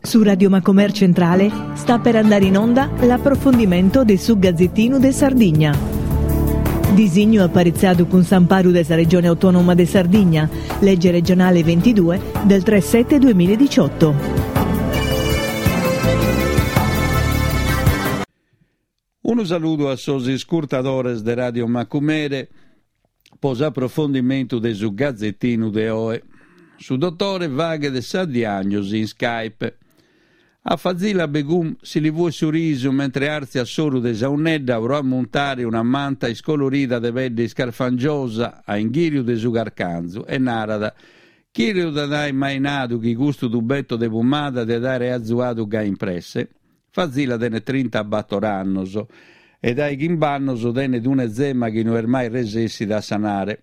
Su Radio Macomer Centrale sta per andare in onda l'approfondimento de su Gazzettinu de Sardigna. Disignu aparitzadu cun s'amparu de sa Regione Autonoma de Sardigna, legge regionale 22 del 3 7 2018. Unu saludu a sos iscurtadores de Radio Macumere po s'aprofondimentu de su Gazetinu de oe. Su dotore faghet sa diagnosi in Skype. A Fazila Begum si li fuet su risu mentre àrtziat s'oru de sa 'unnedda pro ammuntare una manta iscolorida de pedde iscarfangiosa a inghìriu de su carcanzu e narat, Chie lu diat aer mai nadu chi custu tubetto de pumada diat aere azuadu gai in presse? Fazila tenet trintabator annos e dae chimb'annos tenet un'ezema chi no est mai resessida a sanare.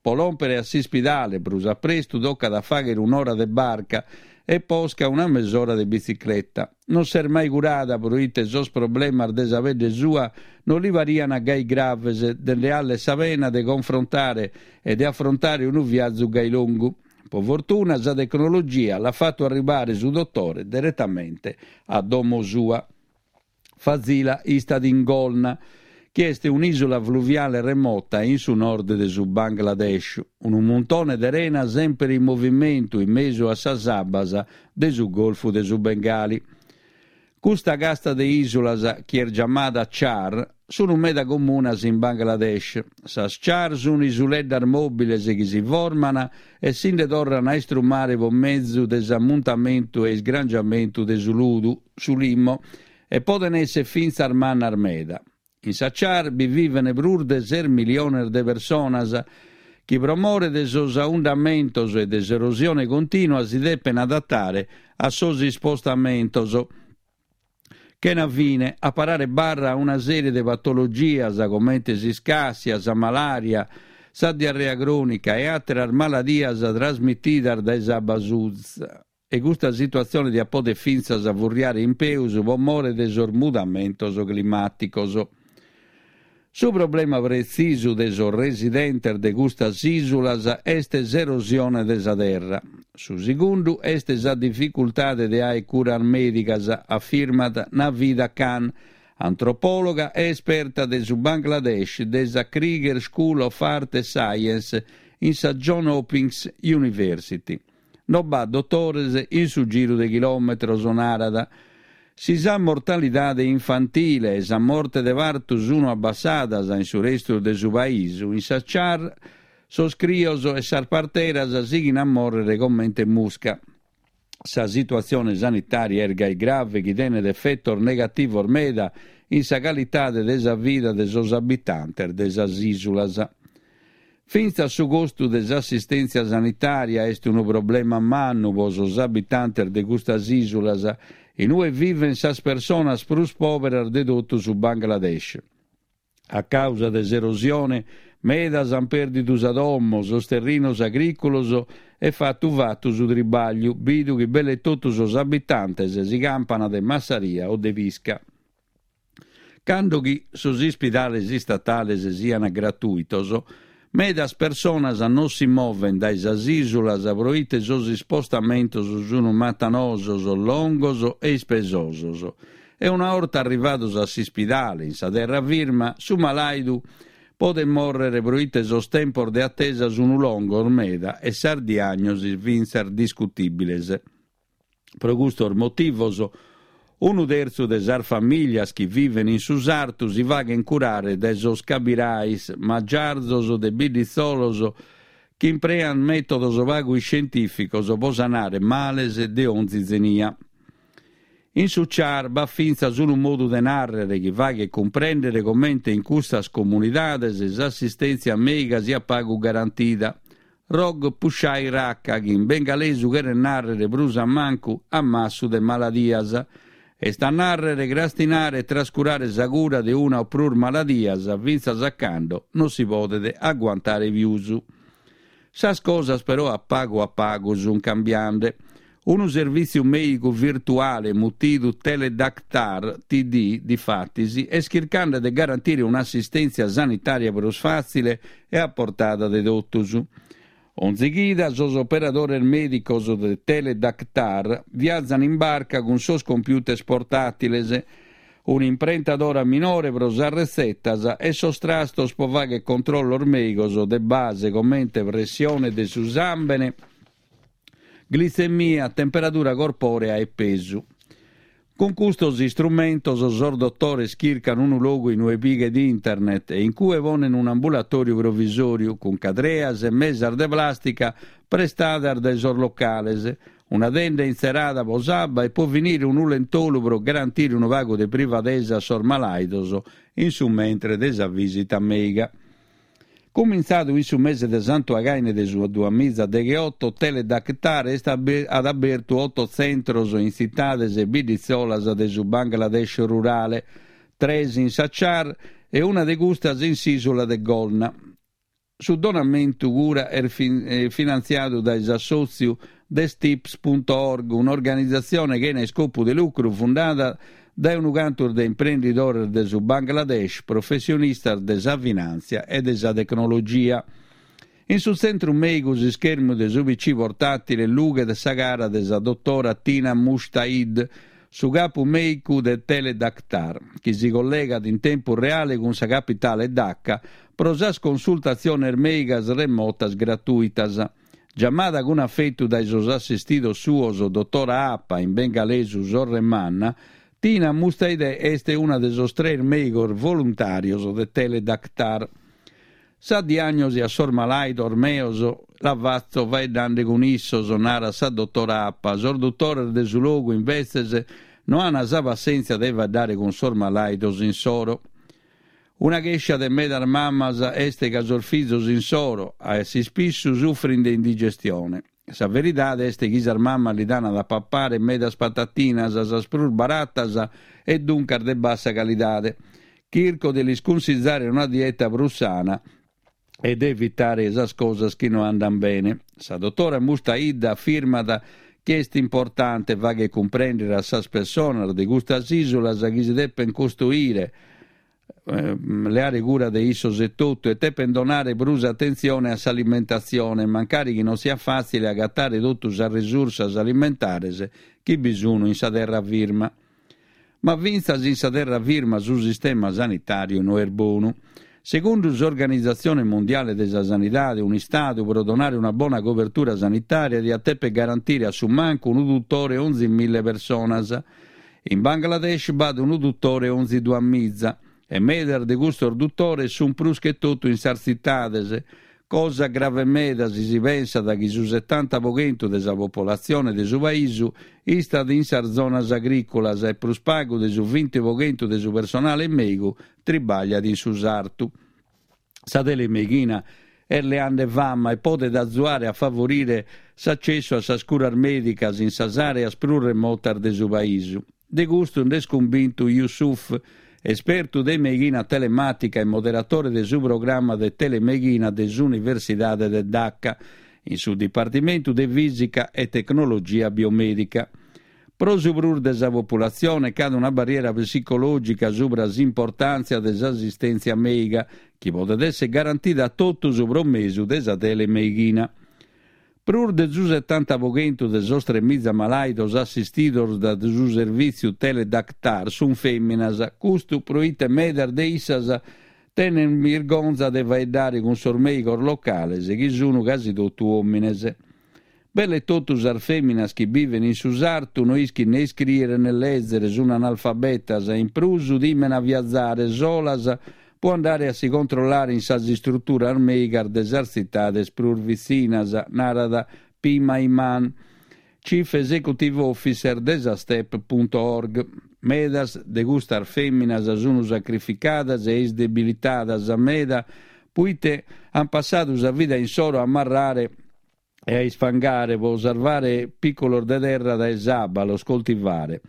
Po lòmpere a s'ispidale prus a prestu tocat a fàghere un'ora de barca e posca una mesora de bitzicleta. Non s'est mai curada proite sos problemas de sa pedde sua non li pariant gai graves de nde 'aler sa pena de confrontare e de afrontare unu viazu gai longu. Po fortuna sa tecnologia l'at fatu arribare su dotore deretamente a domo sua. Fazila istat in Golna, chi est un'ìsula fluviale remota in su nord de su Bangladesh, unu muntone de rena semper in movimentu in mesu a sas abbas de su Golfu de su Bengali. Custa casta de ìsulas, chi est giamada char, sunt meda comunas in Bangladesh. Sas char sunt isuleddas mòbiles chi si forman e si nde torran a istrumare pro mezu de s'ammuntamentu e isgrangiamentu de su ludu, su limo, e poden èssere fintzas mannas meda. In sa char bi viven prus de ses miliones de personas chi pro more de sos aundamentos e de s'erosione continua si depen adatare a sos ispostamentos chena fine, a parare barra a una serie de patologias comente s'iscassia, sa malària, sa diarrea crònica e àteras maladias trasmitidas dae s'abba suza. E custa situatzione diat poder fintzas furriare in peus pro more de sos mudamentos climàticos. Su problema pretzisu de sos residentes de custas ìsulas est s'erosione de sa terra. Su segundu est sa dificultade de aer curas mèdigas, afirmat Navida Khan, antropòloga e esperta de su Bangladesh de sa Krieger School of Art and Science in sa John Hopkins University. No b'at dotores in su giru de chilòmetros, narat. Si sa mortalidade infantile e sa morte de partu sunu abbassadas in su restu de su paisu, in sa Char sos crios e sas parteras sighin a mòrrere comente musca. Sa situatzione sanitària est gai grave chi tenet efetos negativos meda in sa calidade de sa vida de sos abitantes de sas ìsulas. Fintzas su costu de s'assistèntzia sanitària est unu problema mannu pro sos abitantes de custas ìsulas, in ue vivent sas personas prus pòberas de totu su Bangladesh. A càusa de s'erosione, medas ant pèrdidu sa domo, sos terrinos agrìculos e fatu fatu su tribàgliu, bidu chi belle totu sos abitantes si campant de massaria o de pisca. Cando chi sos ispidales istatales siant gratùitos, medas personas non si movent dae sas ìsulas pro ite sos ispostamentos sunt matanosos, longos e ispesosos. E una 'orta arrivados a s'ispidale in sa terra firma, su malàidu podet mòrrere pro ite sos tempos de atesa sunt longos meda e sas diàgnosis fintzas discutìbiles. Pro custos motivos, unu tertzu de sas famìlias chi viven in su sartu si faghen curare dae sos cabirais, magiarzos de bidditzolos chi imprean mètodos pagu iscientìficos pro sanare males de onzi zenia. In su Char b'at fintzas unu modu de nàrrere chi faghet cumprèndere comente in custas comunidades s'assistèntzia mèiga siat pagu garantida, Rog Pushai Rakha, chi in bengalesu cheret nàrrere prus a mancu ammassu de maladias, est a nàrrere crastinare e trascurare sa cura de una o prus maladias fintzas a cando non si podet aguantare pius. Sas cosas però a pagu a pagu sunt cambiande. Unu servìtziu mèigu virtuale mutidu Teledaktar, TD, difatis, est chircande de garantire un'assistèntzia sanitària prus fàtzile e a portada de totus. Onzi chida sos operadores mèdicos de Teledaktar viazan in barca cun sos computers portàtiles, un'imprentadora minore pro sas retzetas e sos trastos pro fagher controllos mèigos de base comente pressione de su sàmbene, glitzemia, temperadura corpòrea e pesu. Cun custos istrumentos sos dotores chircan unu logu in ue pighet internet e in cue ponen un'ambulatòriu provisòriu cun cadreas e mesas de plàstica prestadas dae sos locales, una tenda intzerada pro s'abba e pro finire unu lentolu pro garantire unu pagu de privadesa a sos malàidos in su mentre de sa vìsita mèiga. Cumintzadu in su mese de Santu Againe de su duamiza degheoto, Teledaktar est at abertu oto tzentros in tzitades e bidditzolas de su Bangladesh rurale, tres in Sachar e una de custas in s'ìsula de Golna. Su donamentu cura est finantziadu dae s'assòtziu TheSteps punto org, un'organizatzione chena iscopu de lucru fundada dae unu cantu de imprendidores de su Bangladesh, professionistas de sa finàntzia e de sa tecnologia. In su tzentru mèigu s'ischermu de su PC portàtile lughet sa cara de sa dotora Tina Mushtaid, su capu mèicu de Teledaktar, chi si collegat in tempus reale cun sa capitale Dhaka pro sas consultatziones mèigas remotas gratùitas. Giamada cun afetu dae sos assistidos suos Dotora Apa, in bengalesu Sorre Manna, Tina Mustaidè est una de sos tres mèigos voluntàrios de Teledaktar. Sa diàgnosi a sos malàidos meos la fatzo faeddande cun issos, narat sa dotora Apa. Sos dutores de su logu, imbetzes, no an sa passèntzia de faeddare cun sos malàidos insoro. Una chèscia de medas mamas est ca sos fizos insoro, a s'ispissu, sufrin de indigestione. Sa veridade est chi sas mamas li dan a papare medas patatinas, sas prus baratas e duncas de bassa calidade. Chirco de lis cunsizare una dieta prus sana e de evitare sas cosas chi no andan bene. Sa dotora Mustaidda afirmat chi est importante fagher cumprèndere a sas personas de custas ìsulas chi si depent costoire, leare cura de issos etotu e depent donare prus atentzione a s'alimentatzione, mancari chi non siat fàtzile agatare totu sas risursas alimentares chi bi sun in sa terra firma. Ma fintzas in sa terra firma su sistema sanitàriu no est bonu. Segundu s'Organizatzione Mundiale de sa Sanidade, un'Istadu pro donare una bona cobertura sanitària diat dèpere garantire a su mancu unu dutore onzi mille personas. In Bangladesh b'at unu dutore onzi duamiza, e medas de custos dutores sunt prus che totu in sas tzitades, cosa grave meda si si pensat chi su setanta pro chentu de sa popolatzione de su paisu istat in sas zonas agrìculas e prus pagu de su vinti pro chentu de su personale mèigu tribagliat in su sartu. Sa telemeighina est leande fama e podet azuare a favorire s'acessu a sas curas mèdicas in sas àreas prus remotas de su paisu. De custu nd'est cumbintu Yusuf, espertu de meighina telemàtica e moderatore de su programma de telemeighina de s'Universidade de Dhaka, in su Dipartimentu de Fìsica e Tecnologia Biomèdica. Pro su prus de sa populatzione ch'at una barriera psicològica subra s'importàntzia de s'asistèntzia mèiga, chi podet èssere garantida a totus pro mesu de sa telemeighina. Prus de su setanta pro chentu de sos tremiza malàidos assistidos dae su servìtziu Teledaktar sunt fèminas, custu pro ite medas de issas tenent birgonza de faeddare cun sos mèigos locales chi sunt casi totu òmines. Belle totu sas fèminas chi biven in su sartu no ischin ne iscrìere ne lèzere, sun analfabetas e in prus timen a viazare solas pro andare a si controllare in sas istruturas mèigas de sas tzitades prus vitzinas, narat Pima Iman, Chief Executive Officer de sa Step punto org. Medas de custas fèminas sun sacrificadas e isdebilitadas meda proite an passadu sa vida insoro a marrare e a isfangare pro sarvare pìculos de terra dae s'abba, a los coltivare.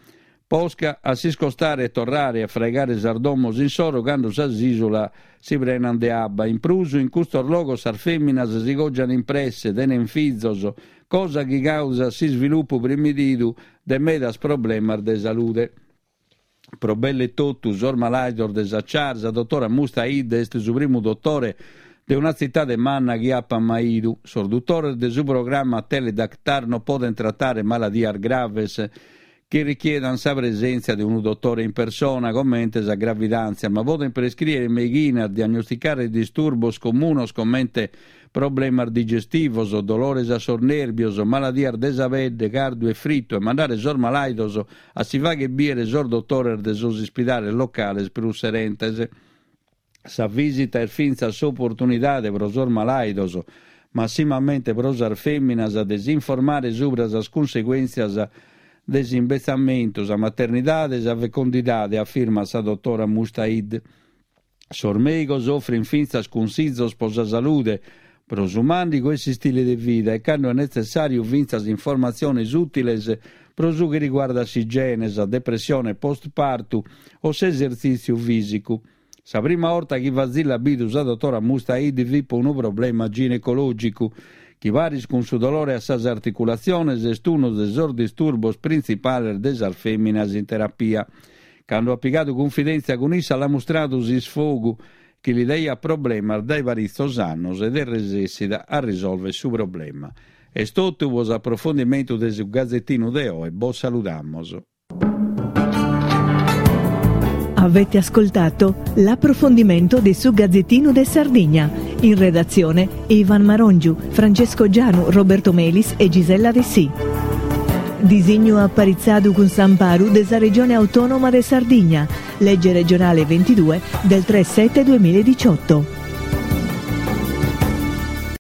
Posca a s'iscostare e torrare a fraigare sas domos insoro cando sas ìsulas si prenant de abba. In prus, in custos logos sas fèminas si cògian in presse, tenent fizos, cosa chi càusat s'isvilupu primididu de medas problemas de salude. Pro belle totu sos malàidos de sa Char, sa dotora Mustaid est su primu dotore. de una tzitade manna chi apat mai 'idu. Sos dutores de su programma Teledaktar no podent tratare maladias graves chi richiedan sa presèntzia de unu dotore in persona, comente sa gravidàntzia, ma podent prescrìere meighinas, diagnosticare disturbos comunos comente problemas digestivos, dolores a sos nèrbios, maladias de sa pedde, cardu e fritu e mandare sos malàidos a si fàghere bìere sos dotores de sos ispidales locales prus serentes. Sa vìsita est fintzas s'oportunidade pro sos malàidos, massimamente pro sas fèminas, de s'informare subra sas cunseguèntzias de s'imbetzamentu, sa maternidade e sa fecondidade, afirmat sa dotora Mustaid. Sos mèigos ofrint fintzas cunsizos pro sa salude, pro su màndigu e s'istile de vida e, cando est netzessàriu, fintzas informatziones ùtiles pro su chi riguardat s'igiene, sa depressione post-partu o s'esertzìtziu fìsicu. Sa prima 'orta chi Fazilla at bidu sa dotora Mustaid fit pro unu problema ginecològicu, chi paris cun su dolore a sas articulatziones est unu de sos disturbos printzipales de sas fèminas in terapia. Cando at pigadu cunfidèntzia cun issa l'at mustradu s'isfogu chi li daiat problemas dae paritzos annos ed est resessida a risòlvere su problema. Est totu pro s'aprofondimentu de su Gazetinu de oe, bos saludamos. Avete ascoltato l'approfondimento de su Gazzettino de Sardigna. In redazione Ivan Marongiu, Francesco Gianu, Roberto Melis e Gisella Dessì. Disignu aparitzadu cun s'amparu de sa Regione Autonoma de Sardigna, Legge regionale 22 del 3 7 2018.